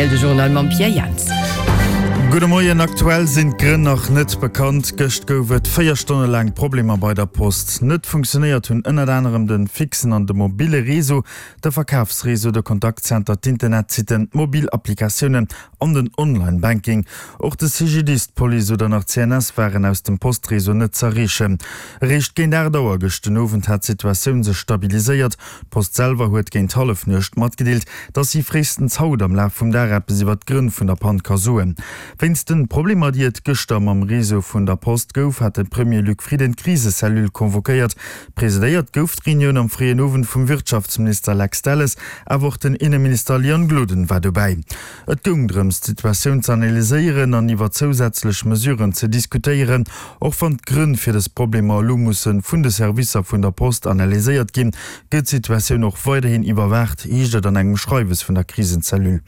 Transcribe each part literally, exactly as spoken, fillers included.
R T L de Journal mam Pierre Jans. Gudde Moien, Aktuell sinn d'Grënn nach net bekannt. Gëscht gouf et véier Stonne laang Problemer bei der Post. Net funktionéiert hunn ënnert anerem de fixen an de mobille Réseau, de Verkafsréseau, de Kontaktzenter, d'Internetsitten, d'mobil Applikatiounen an den Online-Banking. Och de C G D I S, d'Police oder nach d'C N S waren aus dem Postréseau net z'erreechen. Eréischt géint aacht Auer gëscht den Owend hat d'Situatioun sech stabiliséiert. D'Post selwer huet géint Hallefnuecht matgedeelt, dass si fréistens haut am Laf vum Dag eppes iwwer d'Grënn vun der Pann ka soen. Wéinst de Problemer, déi et gëschter mam Réseau vun der Post gouf, hat de Premier Luc Frieden d'Krisecellule convoquéiert. Presidéiert gouf d'Reunioun am fréien Owend vum Wirtschaftsminister Lex Delles, awer och den Inneminister Leon Gloden war dobäi. Et goung drëms, d'Situatioun ze analyséieren an iwwer zousätzlech Mesuren ze diskutéieren. Och wann d'Grënn fir dës Problemer elo musse vun de Servicer vun der Post analyséiert ginn, gëtt d'Situatioun och weiderhin iwwerwaacht, heescht et an engem Schreiwes vun der Krisenzellule.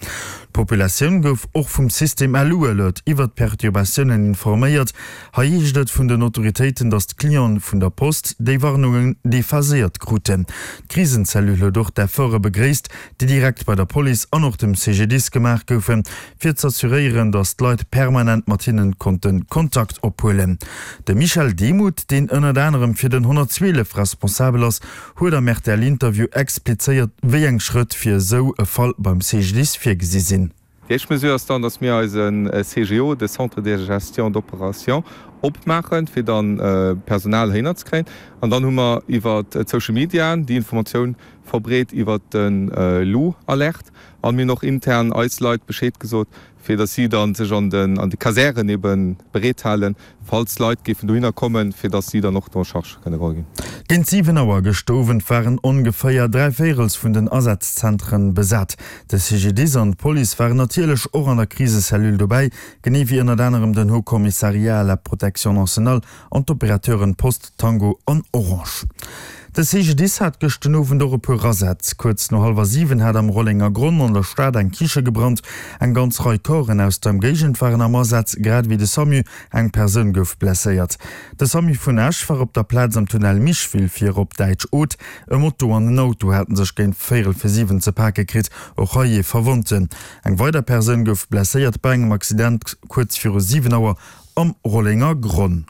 D'Populatioun gouf och vum System L U Alert iwwer d'Perturbatiounen informéiert. Hei heescht et vun den Autoritéiten, datt d'Cliente vun der Post déi Warnungen dephaséiert kruten. D'Krisenzellule huet och d'Efforte begréisst, déi direkt bei der Police an och dem C G D I S gemaach goufen, fir z'assuréieren, datt d'Leit permanent mat hinne konnte Kontakt ophuelen. De Michel Demuth, deen ënnert anerem fir den honnertzwielef responsabel ass, huet am R T L-Interview explizéiert, wéi eng Schrëtt fir esou e Fall beim C G D I S virgesi sinn. Déi éischt Mesure ass dann, dass mir eise C G O, de Centre de gestion d'opérations, opmaachen, fir dann Personal heihinner ze kréien. An dann hu mer iwwer d'Social Mediaen déi Informatioun verbreet iwwer de L U-Alert. An mir hunn och intern eis Leit Bescheed gesot, fir dass si dann sech an den an de Kasären ebe bereet halen, falls Leit géifen dohinner kommen, fir dass si dann och do en charge kënne geholl ginn. Géint siwen Auer gëschter Owend waren ongeféier dräi Véirels vun den Asazzentren besat. De C G D I S an d'Police waren natierlech och an der Krisecellule dobäi, genee wéi ënnert anerem den Haut Commissariat à la Protection nationale an d'Operateuren Post, Tango an Orange. De C G D I S hat gëscht den Owend och e puer Asätz. Kuerz no hallwer siwen hat am Rollengergronn an der Stad eng Kiche gebrannt. Eng ganz Rei Corpsen aus der Ëmgéigend waren am Asaz, grad ewéi de SAMU. Eng Persoun gouf blesséiert. De SAMU vun Esch war op der Plaz am Tunnel Micheville fir op Däitsch Oth. E Moto an en Auto haten sech géint véierel fir siwen ze pake kritt, och hei ee Verwonnten. Eng weider Persoun gouf blesséiert bei engem Accident kuerz viru siwen Auer am Rollengergronn.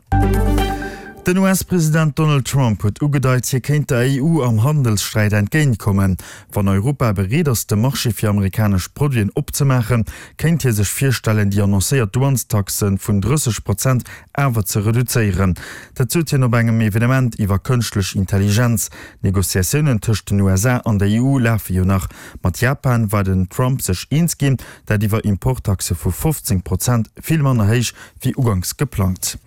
Den U S-President Donald Trump huet ugedeit, hie kéint der E U am Handelssträit entgéintkommen. Wann Europa bereet ass, de Marché fir amerikanesch Produiten opzemaachen, kéint hie sech virstellen, déi annoncéiert Douanestaxe vun drësseg Prozent awer ze reduzéieren. Dat sot hien op engem Evenement iwwer kënschtlech Intelligenz. D'Negociatiounen tëscht den U S A an der E U lafe jo nach. Mat Japan war den Trump sech eens ginn, dat iwwer Importtaxe vu fofzéng Prozent, vill manner héich wéi uganks geplangt.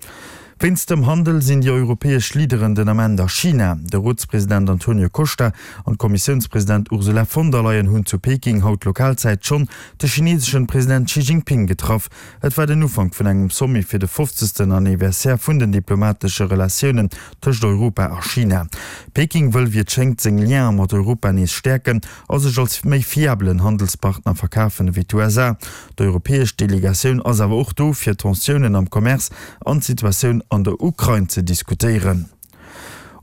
Wéinst dem Handel sinn déi europäesch Leaderen den Ament a China. De Rotspresident Antonio Costa an d'Kommissiounspresident Ursula von der Leyen hunn zu Peking haut Lokalzäit schonn de chineeseschen President Xi Jinping getraff. Et war den Ufank vun engem Sommet fir de fofzegsten Anniversaire vun den diplomatesche Relatiounen tëscht Europa a China. Peking wëll, wéi et schéngt, seng Liene mat Europa nees stäerken a sech als méi fiabelen Handelspartner verkafen ewéi d'U S A. D'europäesch Delegatioun ass awer och do, fir Tensiounen am Commerce an d'Situatioun an der Ukrain ze diskutéieren.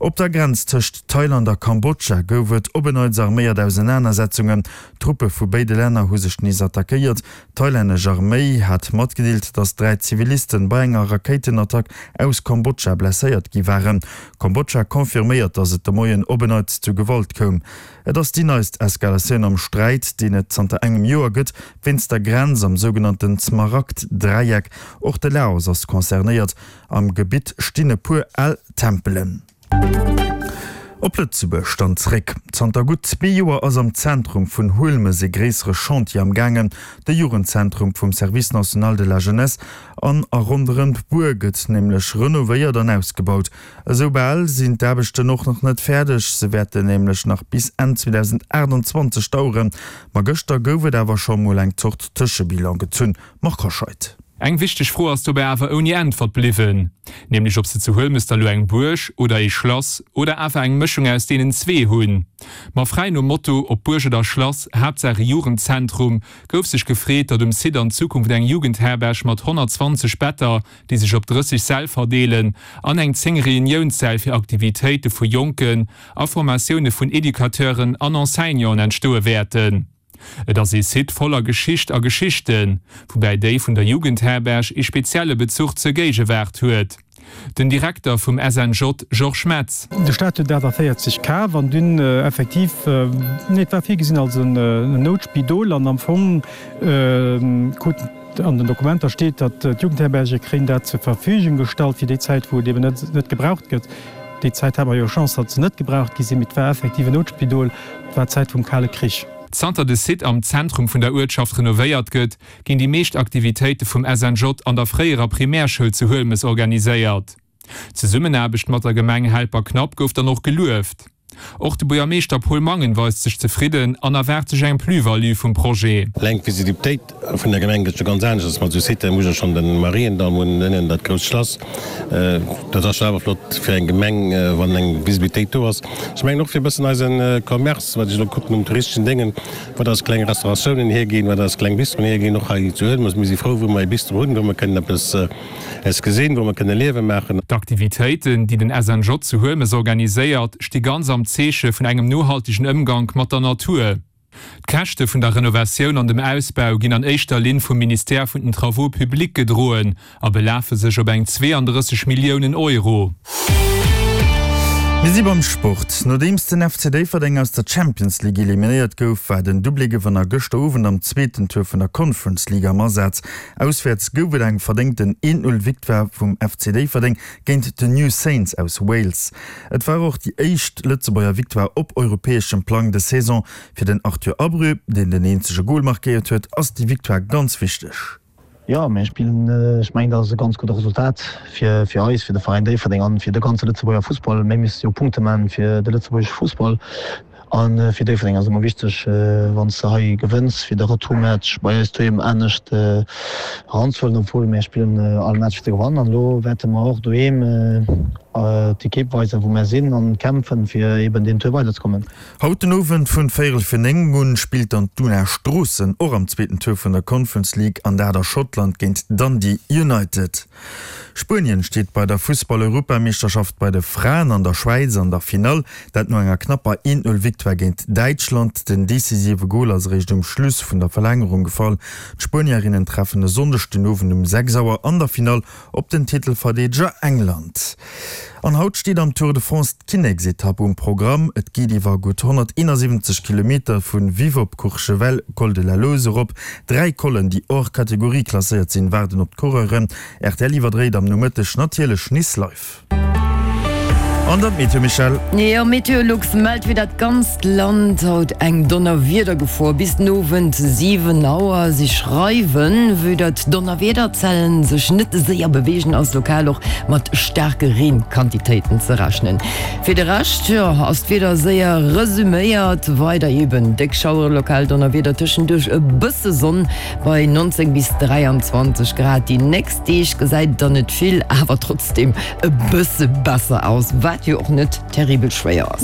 Op der Grenz tëscht Thailand a Kambodscha gouf et op en Neits arméiert Ausenanersetzungen. Truppe vu béide Länner hu sech nees attackéiert. D'thailännesch Arméi hat matgedeelt, datt dräi Zivilisten bei enger Rakéitenattack aus Kambodscha blesséiert gi waren. Kambodscha confirméiert, datt et de Moien op en Neits zu Gewalt koum. Et ass déi neist Eskalatioun am Sträit, deen et zanter engem Joer gëtt, wéinst der Grenz am sougenannten Smaragd-Dräieck. Och de Laos ass concernéiert. Am Gebitt stinn e puer al Tempelen. Op Lëtzebuerg dann zréck. Zanter gutt zwee Joer ass am Zentrum vun Huelmes e gréissere Chantier am gaangen, de Jugendzentrum vum Service national de la jeunesse an a ronderëm d'Buer gëtt nämlech renovéiert an ausgebaut. Esou bal sinn d'Aarbechten och nach net fäerdeg, se wäerten nämlech nach bis Enn zweedausendaachtenzwanzeg daueren. Ma gëschter gouf et awer scho mol eng Zort Tëschebilan gezunn. Marc Hoscheid. Eng wichteg Fro ass dobäi awer ouni Äntwert bliwwen, nämlech ob se zu Huelmes da lo eng Buerg oder ee Schlass oder awer eng Mëschung aus deenen zwee hunn. Ma fräi nom Motto ob Buerg oder Schlass, Haaptsaach e Jugendzentrum, gouf sech gefreet, datt um Site an Zukunft eng Jugendherberg mat honnertzwanzeg Better, déi sech op drësseg Säll verdeelen, an eng zéng Reuniounssäll fir Aktivitéite vu Jonken a Formatioune vun Educateuren an Enseignanten entstoe wäerten. Et ass ee Site voller Geschicht a Geschichten, woubäi déi vun der Jugendherberg ee spezielle Bezuch zur Géigewaart huet. Den Direkter vum S N J Georges Metz. De Staat huet dat a véierzeg kaf an dunn effektiv, nee, et war virgesinn als en Noutspidol an am Fong krut an den Dokumenter steet, datt d'Jugendherberge kréien dat zur Verfügung gestallt fir déi Zäit, wou et eben net net gebraucht gëtt. Déi Zäit hate mer jo Chance, datt se net gebraucht gi sinn, mee et war effektiv en Noutspidol, et war d'Zäit vum Kale Krich. Zanter de Site am Zentrum vun der Uertschaft renovéiert gëtt, ginn déi meescht Aktivitéite vum S N J an der fréierer Primärschoul zu Huelmes organiséiert. D'Zesummenaarbecht mat der Gemeng Helperknapp gouf dann och gelueft. Och de Buergermeeschter Paul Mangen weist sech zefridden an erwaart sech eng Plus-value vum Projet. Eleng d'Visibilitéit vun der Gemeng gëtt jo ganz anescht mat esou Siten. Ech hu schonn de Mariendall hunn ënnen dat grousst Schlass. Dat ass jo awer flott fir eng Gemeng, wann eng Visibilitéit do ass. Ech mengen och fir e bëssen eise Commerce, wat ech elo kucken um touristeschen Déngen, wat eis kleng Restauratiounen hierginn, wat eis kleng Bistroen hierginn, och hei zu Huelmes. Mir si frou, wou mer e Bistro hunn, wou mer kënnen eppes es gesinn, wou mer kënne Liewe maachen. D'Aktivitéiten, déi den S N J zu Huelmes organiséiert, sti ganz am Zeeche vun engem nohaltegen Ëmgank mat der Natur. D'Käschte vun der Renovatioun an dem Ausbau ginn an éischter Linn vum Ministère vun den Travaux publics gedroen a belafe sech op eng zweeandrësseg Milliounen Euro. Mir si beim Sport. Nodeems den F C Déifferdeng aus der Champions League eliminéiert gouf, war den Doublé-Gewënner gëschter Owend am zweeten Tour vun der Conference League am Asaz. Auswäerts gouf et eng verdéngten een-Null-Victoire vum F C Déifferdeng géint den New Saints aus Wales. Et war och déi éischt Lëtzebuerger Victoire op europäeschem Plang des Saison. Fir den Arthur Abreu, deen den eenzege Gol markéiert huet, ass déi Victoire ganz wichteg. Jo, mir spillen, ech mengen, dat ass e ganz gudde Resultat fir fir eis, fir de Veräin Déifferdeng an fir de ganze Lëtzebuerger Fussball. Mir musse jo Punkte maachen fir de lëtzebuergesche Fussball an fir Déifferdeng ass ëmmer wichteg, wann s de hei gewënns, fir de Retourmatch bei eis doheem anescht eranzehuelen, obwuel mir spillen all Match fir ze gewannen. An elo wäerte mer och doheem d'Ekipp weisen, wou mir sinn an kämpfen, fir eben deen Tour weiderzekommen. Haut den Owend vun véierel fir néng un spillt dann d'Duna Stroossen och am zweeten Tour vun der Conference League an dat a Schottland géint Dundee United. Spuenien steet bei der Fussball-Europameeschterschaft bei de Fraen an der Schwäiz an der Finall, dat no enger knapper een-Null-Victoire géint Däitschland. Den decisive Gol ass eréischt um Schluss vun der Verlängerung gefall. D'Spuenierinnen treffen e Sonndeg den Owend um sechs Auer an der Finall op den Titelverdeedeger England. An haut steet am Tour de France d'Kinneksetapp um Programm. Et geet iwwer gutt honnerteenasiwwenzeg Kilometer vu Vive op Courchevel, Col de la Loze erop. Dräi Collen, déi hors catégorie klasséiert sinn, waarden op d'Coureuren. R T L iwwerdréit am Nomëtteg natierlech Nice live. An dann d'Meteo, Michèle. Jo, Meteolux mellt fir dat ganzt Land haut eng Donnerwiedergefor bis den Owend siwen Auer. Si schreiwen, vue datt d'Donnerwiederzellen sech net séier beweegen, ass lokal och mat staarke Reenquantitéiten ze rechnen. Fir de Rescht, jo, ass d'Wieder séier resuméiert, weider eben déck Schaueren, lokal Donnerwieder, tëschenduerch e bësse Sonn bei neunzéng bis dräianzwanzeg Grad. Déi nächst Deeg gesäit et dann net vill, awer trotzdeem e bësse besser aus, wat jo och net terribel schwéier ass.